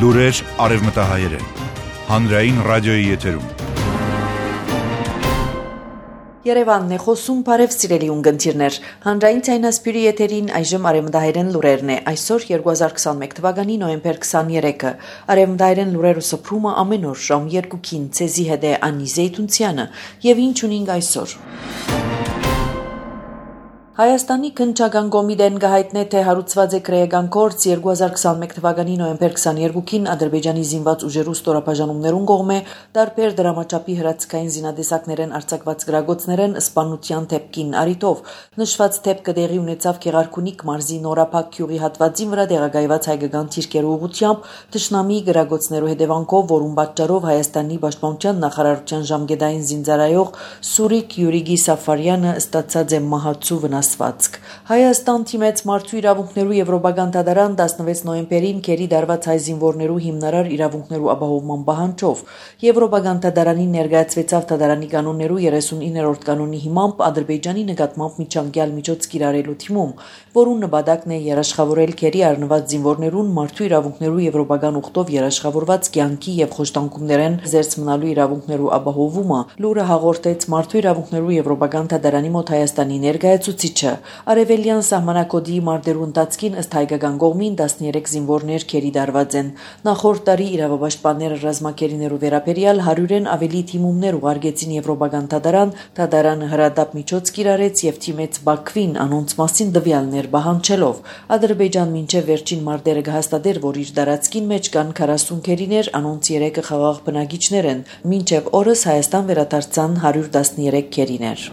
Լուրեր արևմտահայերեն, հանրային ռադիոյի եթերում։ Երևանն է խոսում, բարև սիրելի ունգընտիրներ, հանրային ցայնասպյուրի եթերին այժմ արևմտահայերեն լուրերն է, այսօր 2021 թվականի նոյեմբեր 23-ը, արևմտահայերեն լուրերը սփռումը ամեն օր ժամ 2-ին ցեզի հետ է Անի Զեյթունցյանը, եւ ինչ ունենք այսօր։ Հայաստանի քննչական կոմիտեն գահիտնե թե հարուցված է քրեական գործ 2021 թվականի նոյեմբեր 22-ին Ադրբեջանի զինված ուժերու ստորաբաժանումներուն կողմէ տարբեր դրամաչափի հրացքային զինադեսակներեն արձակված գրագոցներեն սպանության թեփքին արիտով նշված թեփքը տեղի ունեցավ Գեղարքունիք մարզի Նորափակ գյուղի հատվածին վրա տեղակայված հայկական թիրքերու ուղղությամբ թշնամի գրագոցներու հետևանքով, որում պատճառով Հայաստանի պաշտպանության նախարարության ժամկետային զինծառայող Սուրիկ Յուրիգի Սաֆարյանը ստացած է մահացու վնասվածք։ Հայաստան թիմեց մարդու իրավունքներու եվրոպական դատարան 16 նոյեմբերին քերի դարված հայ զինվորներու հիմնարար իրավունքներու ապահովման պահանջով եվրոպական դատարանին ներկայացվեցավ դատարանի կանոններու 39-րդ կանոնի հիմամբ Ադրբեջանի նկատմամբ միջանկյալ միջոց կիրառելու թիմում, որուն նպատակն է երաշխավորել քերի առնված զինվորներուն մարդու իրավունքներու եվրոպական ուխտով երաշխավորված կյանքի եւ խոշտանգումներեն զերծ մնալու իրավունքներու ապահովումը, լուրը հաղորդեց մարդու իրավունքներու եվրոպական դատարանի մոտ Հայաստանի ներկայացուցիչը։ Արևելյան սահմանակոդի մարտերու ընթացքին ըստ հայկական կողմին 13 զինվորներ քերի դարված են։ Նախորդ տարի իրավապաշտպանները ռազմակերիներու վերաբերյալ 100-ն ավելի թիմումներ ուղարկեցին եվրոպական դատարան, դատարանը հրադապ միջոց կիրառեց եւ թիմեց Բաքվին անոնց մասին տվյալներ պահանջելով։ Ադրբեջան մինչեւ վերջին մարտերը կհաստատեր, որ իր տարածքին մեջ կան 40 քերիներ, անոնց 3-ը խաղաղ բնակիչներ են։ Մինչեւ օրս Հայաստան վերադարձան 113 քերիներ։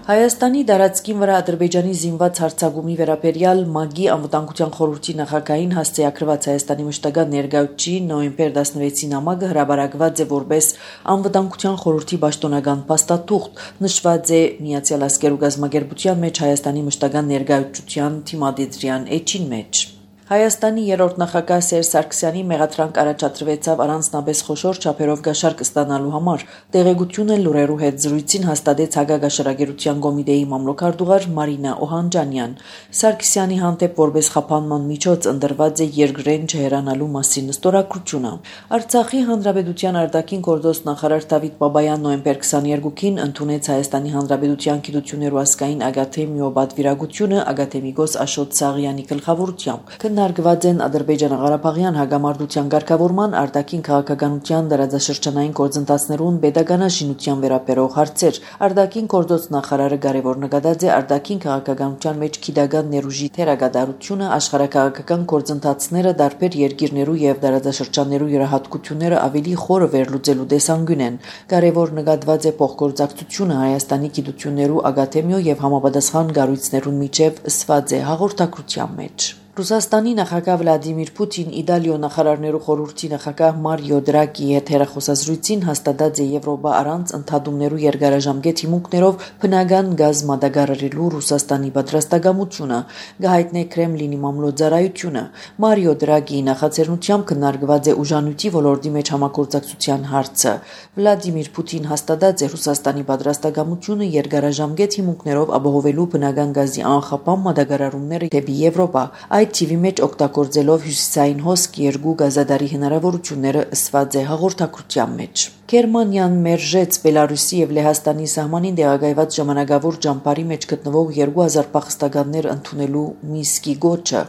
Հայաստանի դարածքին վրա Ադրբեջանի զինված հարձակումի վերաբերյալ ՄԱԳ-ի անվտանգության խորհրդի նախագահին հասցեակրված Հայաստանի մշտական ներկայացուցիչ նոյեմբեր 16-ին ամագը հրաբարակված է որպես անվտանգության խորհրդի պաշտոնական փաստաթուղթ, նշված է Միացյալ Ազգերու գազམ་ագերբության մեջ Հայաստանի մշտական ներկայացության թիմադեդրյան էջին մեջ։ Հայաստանի երրորդ նախագահ Սերժ Սարգսյանի մեղադրանք առաջադրվեցավ առանձնապես խոշոր չափերով գաշարկ ստանալու համար։ Տեղեկությունը լուրերու հետ զրույցին հաստատեց Հակագաշարագերության կոմիտեի մամլոքարտուղար Մարինա Օհանջանյան։ Սարգսյանի հանդեպ որպես խափանման միջոց ընտրված է երկրեն չհերանալու մասին ստորագրությունը։ Արցախի հանրապետության արտաքին գործոստ նախարար Դավիթ Բաբայան նոյեմբեր 22-ին ընդունեց Հայաստանի հանրապետության գիտություններու ազգային ակադեմիո պատվիրակությունը ակադեմիկոս Աշոտ Սաղյանի գլխավորությամբ։ Քննարկված են Ադրբեջանա-Ղարաբաղյան հագամարտության ղեկավարման, արտաքին քաղաքականության դարաձաշրջանային գործընթացներուն պետականաշինության վերաբերող հարցեր։ Արտաքին գործոց նախարարը կարևոր նկատած է արտաքին քաղաքականության մեջ գիտական ներուժի թերակատարությունը, աշխարհակաղակական գործընթացները տարբեր երկիրներու եւ դարաձաշրջաններու յուրահատկությունները ավելի խորը վերլուծելու տեսանկյուն են։ Կարևոր նկատված է փոխգործակցությունը Հայաստանի գիտություններու ակադեմիո եւ համապատասխան կառույցներուն միջև ըսված է հաղորդակցության մեջ։ Ռուսաստանի նախագահ Վլադիմիր Պուտին Իտալիո նախարարներու խորհրդի նախագահ Մարիո Դրագի հետ հեռախոսազրույցին հաստատած է Եվրոպա առանց ընդհատումներու երկարաժամկետ հիմունքներով բնական գազ մատակարարելու Ռուսաստանի պատրաստակամությունը, գահիտնե Կրեմլինի մամլոյցարայությունը։ Մարիո Դրագիի նախաձեռնությամբ քննարկված է ուժանույթի ոլորտի մեջ համագործակցության հարցը։ Վլադիմիր Պուտին հաստատած է Ռուսաստանի պատրաստակամությունը երկարաժամկետ հիմունքներով ապահովելու բնական գազի անխափան մատակարարումները դեպի Եվրոպա։ Այդ թիվի մեջ օգտագործելով հյուսիսային հոսք երկու գազադարի հնարավորությունները ըսված է հաղորդակցության մեջ։ Գերմանիան մերժեց Բելարուսի եւ Լեհաստանի սահմանին տեղակայված ժամանակավոր ճամբարի մեջ գտնվող 2000 փախստականներ ընդունելու Մինսկի գոչը։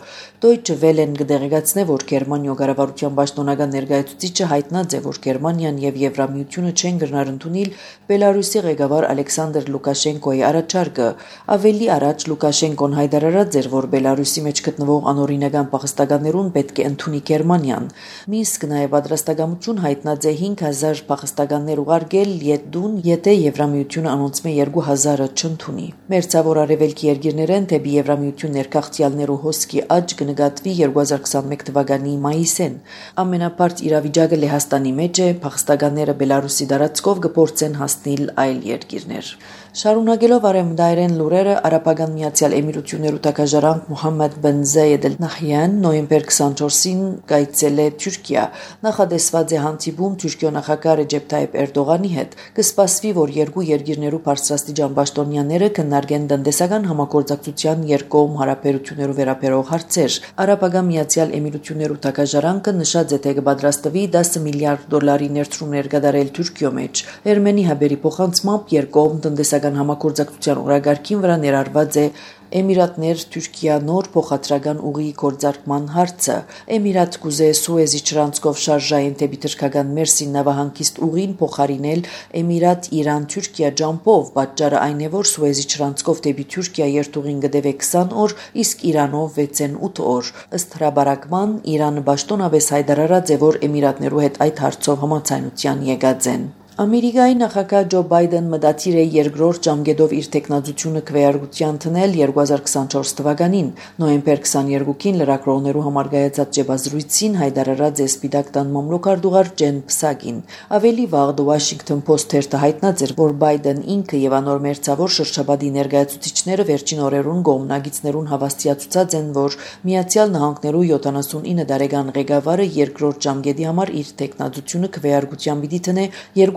Deutsche Welle-ն կդեղեկացնե, որ Գերմանիո կառավարության պաշտոնական ներկայացուցիչը հայտնած է, որ Գերմանիան եւ Եվրամիությունը չեն գնար ընդունել Բելարուսի ղեկավար Ալեքսանդր Լուկաշենկոյի առաջարկը։ Ավելի առաջ Լուկաշենկոն հայտարարած էր, որ Բելարուսի մեջ գտնվող անօրինական փախստականներուն պետք է ընդունի Գերմանիան։ Մինսկը նաեւ պատրաստակամություն հայտնած է 5000 փախստականներ ուղարկել Լիտվան, եթե Եվրամիությունը անոնցմե 2000-ը չընդունի։ Մերձավոր արևելքի երկիրներեն դեպի Եվրամիություն ներքաղցյալներու հոսքի աճ կնկատվի 2021 թվականի մայիսին։ Ամենաբարձ իրավիճակը Լեհաստանի մեջ է, փախստականները Բելարուսի տարածքով կփորձեն հասնել այլ երկիրներ։ Շարունակելով արևմտայերեն լուրերը, Արաբական Միացյալ Էմիրություններու տակաժարանք Մոհամմեդ բեն Զայեդ Սայեդ Նահյան նոյեմբեր 24-ին կայցել է Թուրքիա։ Նախադեсված է հանդիպում Թուրքիո նախագահ Ռեջեփ Թայիփ Էրդողանի հետ։ Կսպասվի, որ երկու երկիրներու բարձրաստիճան պաշտոնյաները քննարկեն տնտեսական համագործակցության երկկողմ հարաբերություններու վերաբերող հարցեր։ Արաբական Միացյալ Էմիրություններու թագաժարանքը նշած է, թե կպատրաստվի $10 միլիարդ ներդրումներ կատարել Թուրքիո մեջ։ Էրմենի հաբերի փոխանցմամբ երկկողմ տնտեսական համագործակցության օրագարկին վրա ներառված է Էմիրատներ Թուրքիա նոր փոխադրական ուղիի գործարկման հարցը։ Էմիրատ կուզե Սուեզի չրանցքով շարժային դեպի թրքական Մերսին նավահանգիստ ուղին փոխարինել Էմիրատ-Իրան-Թուրքիա ջամփով։ Պատճառը այն է, որ Սուեզի չրանցքով դեպի Թուրքիա երթուղին կդեվե 20 օր, իսկ Իրանով 6-8 օր։ Ըստ հրաբարակման Իրանը պաշտոնապես հայտարարած է, որ Էմիրատներու հետ այդ հարցով համաձայնության եկած են։ Ամերիկայի նախագահ Ջո Բայդեն մտադիր է երկրորդ ժամկետով իր տեխնազությունը քվեարկության տնել 2024 թվականին։ Նոյեմբեր 22-ին լրագրողներու համար կայացած ճեպազրույցին հայտարարած է Սպիտակ տան մամլոքարտուղար Ջեն Փսակին։ Ավելի վաղ The Washington Post թերթը հայտնած էր, որ Բայդեն ինքը եւ անոր մերձավոր շրջապատի ներկայացուցիչները վերջին օրերուն կողմնակիցներուն հավաստիացուցած են, որ Միացյալ Նահանգներու 79 տարեկան ղեկավարը երկրորդ ժամկետի համար իր տեխնազությունը քվեարկության պիտի տնե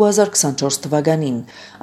2024 թվականին։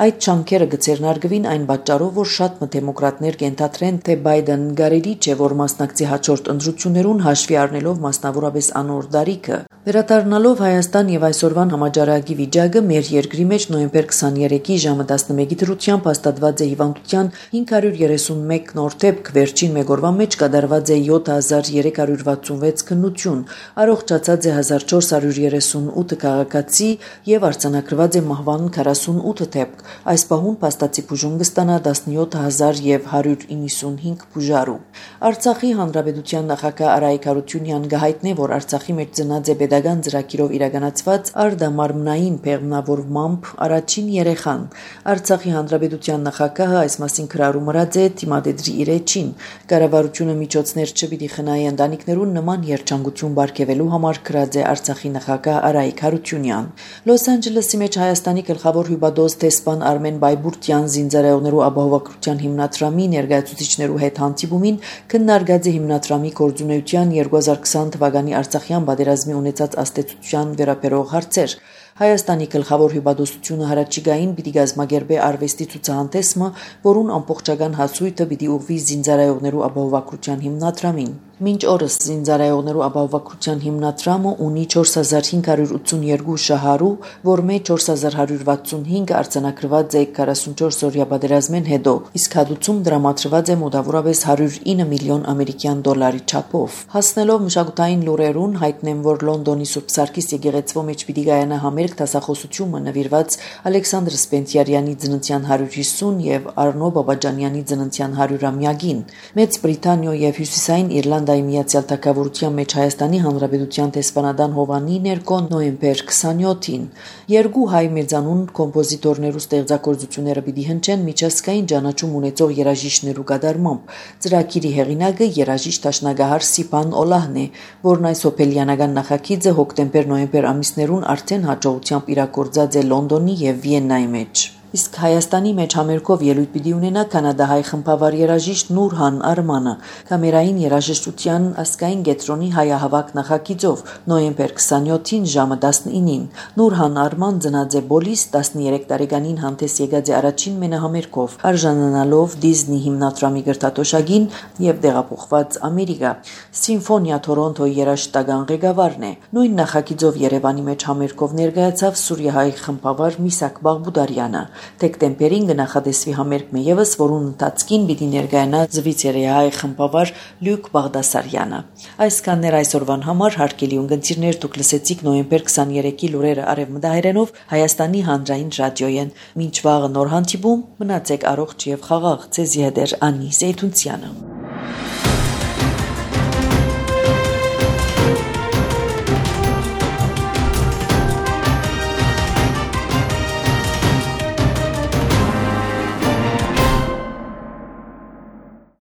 Այդ չանքերը կցերնարգվին այն պատճառով, որ շատ դեմոկրատներ կենթադրեն, թե Բայդեն կարելի չէ, որ մասնակցի հաջորդ ընտրություններուն հաշվի առնելով մասնավորապես անոր դարիքը։ Վերադառնալով Հայաստան եւ այսօրվան համաճարակի վիճակը մեր երկրի մեջ նոյեմբեր 23-ի ժամը 11-ի դրությամբ հաստատված է հիվանդության 531 նոր դեպք, վերջին մեկ օրվա մեջ կատարված է 7366 քննություն, առողջացած է 1438 քաղաքացի եւ արձանագրված է մահվան 48 դեպք։ Այս պահուն փաստացի բուժում կստանա 17195 բուժարու։ Արցախի հանրապետության նախագահ Արայիկ Հարությունյանն գահիտնե, որ Արցախի մեջ ծնած է pedagogan ծրագիրով իրականացված արդամարմնային բեղմնավորմամբ առաջին երեխան։ Արցախի հանրապետության նախագահը այս մասին քրարում մրած է թիմադեդրի իր էջին։ Կառավարությունը միջոցներ չպիտի խնայի ընտանիքներուն նման երջանկություն բարգեւելու համար քրած է Արցախի նախագահ Արայիկ Հարությունյան։ Լոս Անջելեսի մեջ Հայաստանի գլխավոր հյուպատոս դեսպան Արմեն Բայբուրտյան զինծառայողներու ապահովագրության հիմնադրամի ներկայացուցիչներու հետ հանդիպումին քննարկած է հիմնադրամի գործունեության 2020 թվականի Արցախյան պատերազմի ունեցած աստեցության վերաբերող հարցեր։ Հայաստանի գլխավոր հյուպատոսությունը հարաճիգային պիտի գազմագերբե արվեստի ցուցահանդեսը, որուն ամբողջական հասույթը պիտի ուղղվի զինծառայողներու ապահովագրության հիմնադրամին։ Մինչ օրս զինծառայողներու ապահովագրության հիմնադրամը ունի 4582 շահառու, որ մեջ 4165 արձանագրված է 44-օրյա պատերազմեն հետո, իսկ հատուցում դրամատրված է մոտավորապես 109 միլիոն ամերիկյան դոլարի չափով։ Հասնելով մշակութային լուրերուն հայտնեմ, որ Լոնդոնի Սուրբ Սարգիս եկեղեցվո մեջ պիտի գայանա համերգ դասախոսությունը նվիրված Ալեքսանդր Սպենտիարյանի ծննդյան 150 եւ Արնո Բաբաջանյանի ծննդյան 100-ամյակին։ Մեծ Բրիտանիո եւ Հյուսիսային Իռլանդիայի Միացյալ Թագավորության մեջ Հայաստանի Հանրապետության դեսպանատան Հովանի ներկո նոյեմբեր 27-ին երկու հայ մեծանուն կոմպոզիտորներու ստեղծագործությունները պիտի հնչեն միջազգային ճանաչում ունեցող երաժիշտներու կատարմամբ։ Ծրագիրի հեղինակը երաժիշտ դաշնագահար Սիփան Օլահն է, որն այս հոբելյանական նախագիծը հոկտեմբեր-նոյեմբեր ամիսներուն արդեն հաջողությամբ իրագործած է Լոնդոնի եւ Վիեննայի մեջ։ Իսկ Հայաստանի մեջ համերգով ելույթ պիտի ունենա կանադահայ խմբավար երաժիշտ Նուրհան Արմանը կամերային երաժշտության ազգային կենտրոնի հայահավաք նախագիծով նոյեմբեր 27-ին ժամը 19-ին։ Նուրհան Արման ծնած է Բոլիս 13 տարեկանին հանդես եկած է առաջին մենահամերգով, արժանանալով Դիզնի հիմնադրամի գրտատոշակին եւ դեղափոխված Ամերիկա։ Սիմֆոնիա Թորոնտոյի երաժշտական ղեկավարն է։ Նույն նախագիծով Երևանի մեջ համերգով ներկայացավ սուրիահայ խմբավար Միսակ Բաղբուդարյանը։ Դեկտեմբերին կնախադեսվի համերգ եւս, որուն ընթացքին պիտի ներկայանա զվիցերիահայ խմբավար Լյուկ Բաղդասարյանը։ Այսքաններ այսօրվան համար հարգելի ունկնդիրներ, դուք լսեցիք նոյեմբեր 23-ի լուրերը արևմտահայերենով Հայաստանի հանրային ռադիոյեն։ Մինչ վաղը նոր հանդիպում, մնացեք առողջ եւ խաղաղ։ Ձեզի հետ է Անի Զեյթունցյանը։